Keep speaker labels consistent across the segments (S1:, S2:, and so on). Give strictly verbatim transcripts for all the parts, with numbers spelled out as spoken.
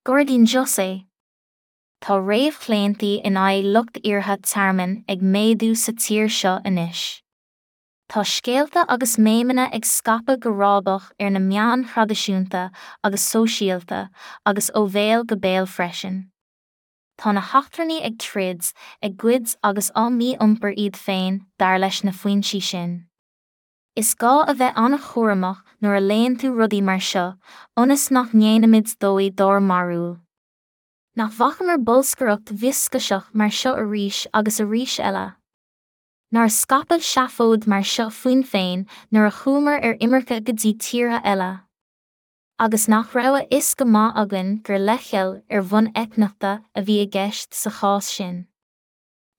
S1: Gairdín José. Tá réamhchlaontaí in aghaidh lucht iarrtha tearmainn ag méadú sa tír seo anois. Tá scéalta agus méimeanna ag scaipeadh go rábach ar na meáin thraidisiúnta agus sóisialta agus ó bhéal go béal freisin. Tá na heachtrannaigh ag troid, ag goid agus á mí-iompar iad féin dar leis na foinsí sin. Is gá a bheith an-chúramach nuair a léann tú rudaí mar seo, ionas nach ndéanaimid dóigh dár mbarúil. Nach bhfacamar bolscaireacht mhioscaiseach mar seo arís agus arís eile? Nár scaipeadh seafóid mar seo fúinn féin nuair a chuamar ar imirce go dtí tíortha eile? Agus nach raibh a fhios go maith againn gur leithcheal ar bhonn eitneachta a bhí i gceist sa chás sin?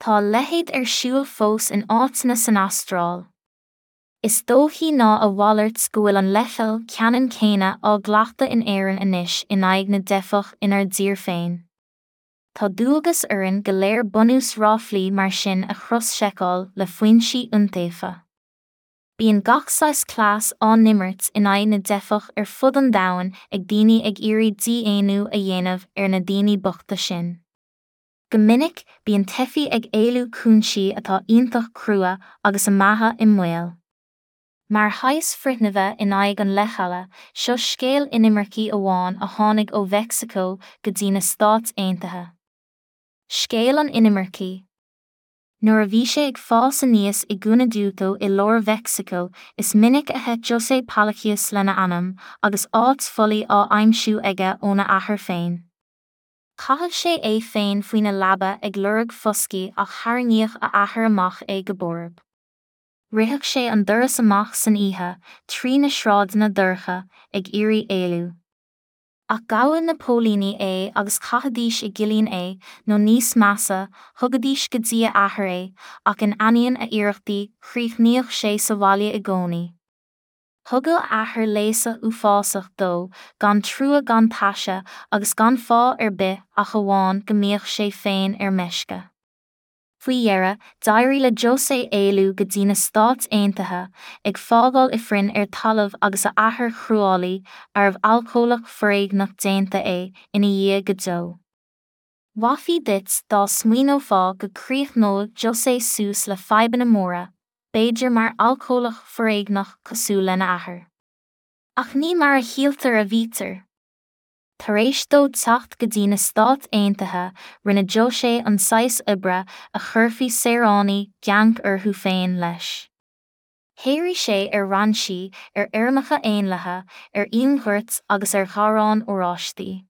S1: Tá a leithéid ar siúl fós in áiteanna san Astráil. Is dóichí ná a mhalairt go bhfuil an leithcheal ceannann céanna á gcleachtadh in Éirinn anois in aghaidh na dteifeach inár dtír féin. Tá dualgas orainn go léir bunús ráflaí mar sin a chros-seiceáil le foinsí iontaofa. Bíonn gach saghas cleas á n-imirt in aghaidh na dteifeach ar fud an domhain ag daoine ag iarraidh dídhaonnú a dhéanamh ar na daoine bochta sin. Go minic, bíonn teifigh ag éalú cúinsí atá iontach crua agus a mbeatha i mbaol. Mar shaghas frithnimhe in aghaidh an leithcheala, seo scéal inimircí amháin a tháinig ó Mheicsiceo go dtí na Stáit Aontaithe. Scéal an inimircí. Nuair a bhí sé ag fás aníos i Guanajuato i lár Mheicsiceo, is minic a theith José Palacios lena anam, agus áit folaigh á aimsiú aige óna athair féin. Chaitheadh sé é féin faoina leaba ag lorg foscaidh ach tharraingíodh a athair amach é go borb. Ritheadh sé an doras amach san oíche, trí na sráideanna dorcha, ag iarraidh éalú. Ach ghabhadh na póilíní é agus chaithidís i gcillín é, nó níos measa, thugaidís go dtí a athair é, ach in ainneoin a iarrachtaí, chríochnaíodh sé sa bhaile i gcónaí. Thugadh a athair léasadh uafásach dó, gan trua gan taise agus gan fáth ar bith ach amháin go mbíodh sé féin ar meisce. Faoi dheireadh, d'éirigh le José éalú go dtí na Stáit Aontaithe, ag fágáil ifrinn ar talamh agus a athair chruálaí, arbh alcólach foréigneach déanta é, ina dhiaidh go deo. Mhaithfí duit dá smaoineofá go gcríochnódh José suas le fadhbanna móra, b'fhéidir mar alcólach foréigneach cosúil lena athair. Ach ní mar a shíltear a bhítear. Tar éis dó teacht go dtí na Stáit Aontaithe, rinne José an saghas oibre a chuirfí saoránaigh geanc orthu féin leis. Shaothraigh sé ar rainsí, ar fheirmeacha éanlaithe, ar fhíonghoirt agus ar gharráin oráistí.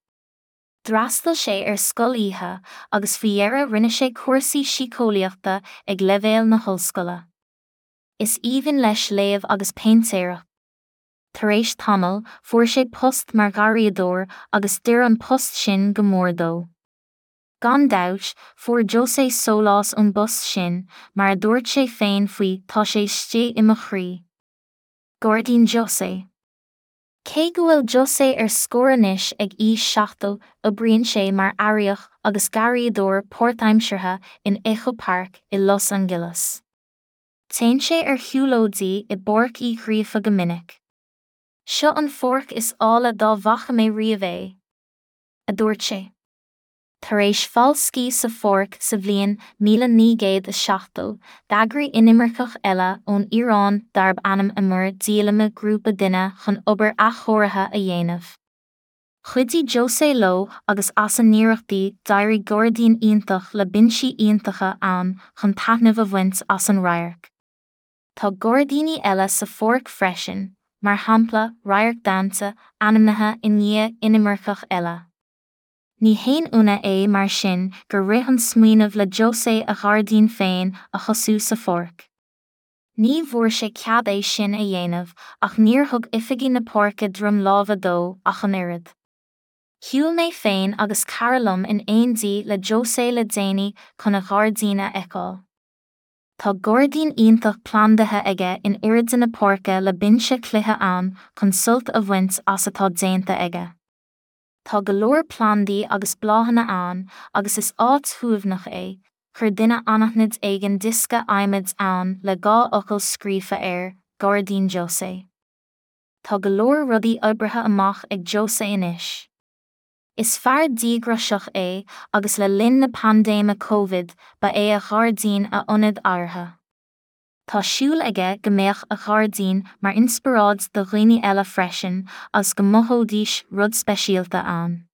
S1: D'fhreastail sé ar scoil oíche agus faoi dheireadh rinne sé cúrsaí síceolaíochta ag leibhéal na hollscoile. Is aoibhinn leis léamh agus péintéireacht. Tar éis tamaill, fuair sé post mar gharraíodóir agus d'oir an post sin go mór dó. Gan dabht, fuair José sólás ón bpost sin, mar a dúirt sé féin faoi tá sé istigh i mo chroí. Gairdín José. Cé go bhfuil José ar scor anois ag aois seachtó, oibríonn sé mar airíoch agus garraíodóir páirtaimseartha in Echo Park i Los Angeles. Téann sé ar shiúlóidí i bPáirc Uí Ghríofa go minic. Seo an pháirc is áille dá bhfaca mé riamh é, a dúirt sé. Tar éis falscaí sa pháirc sa bhliain míle naoi gcéad is seachtó, d'eagraigh inimirceach eile ón Iaráin darb ainm Amir díolaime grúpa duine chun obair athchóirithe a dhéanamh. Chuidigh José leo agus as a n-iarrachtaí d'éirigh gairdín iontach le binsí iontacha ann chun taitneamh a bhaint as an radharc. Tá gairdíní eile sa pháirc freisin, mar shampla radharc Dante ainmnithe i ndiaidh inimirceach eile. Ní haon ionadh é mar sin gur rith an smaoineamh le José a ghairdín féin a thosú sa pháirc. Ní bhfuair sé cead é sin a dhéanamh ach níor thug oifigigh na páirce droim láimhe dó ach an oiread. Shiúil mé féin agus cara liom in éindí le José le déanaí chun a ghairdín a fheiceáil. Tá gairdín iontach plandaithe aige in oirde na páirce le binse cloiche ann chun sult a bhaint as atá déanta aige. Tá go leor plandaí agus bláthanna ann agus is áit shuaimhneach é, chuir duine anaithnid éigin diosca adhmaid ann le dhá fhocal scríofa air, Gairdín José. Tá go leor rudaí oibrithe amach ag José anois. Is fear díograiseach é agus le linn na paindéime Covid ba é a ghairdín a ionad adhartha. Tá súil aige go mbeadh a ghairdín mar inspioráid do dhaoine eile freisin agus go mothóidís rud speisialta ann.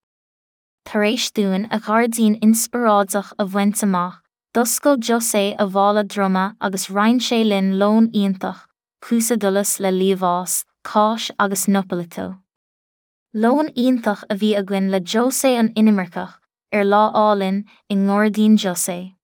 S1: Tar éis dúinn a ghairdín inspioráideach a bhaint amach, d'oscail José a mhála droma agus roinn sé linn lón iontach, quesadillas le liamhás, cáis agus nopalito. Lón iontach a bhí againn le José an inimirceach, ar lá álainn i ngairdín José.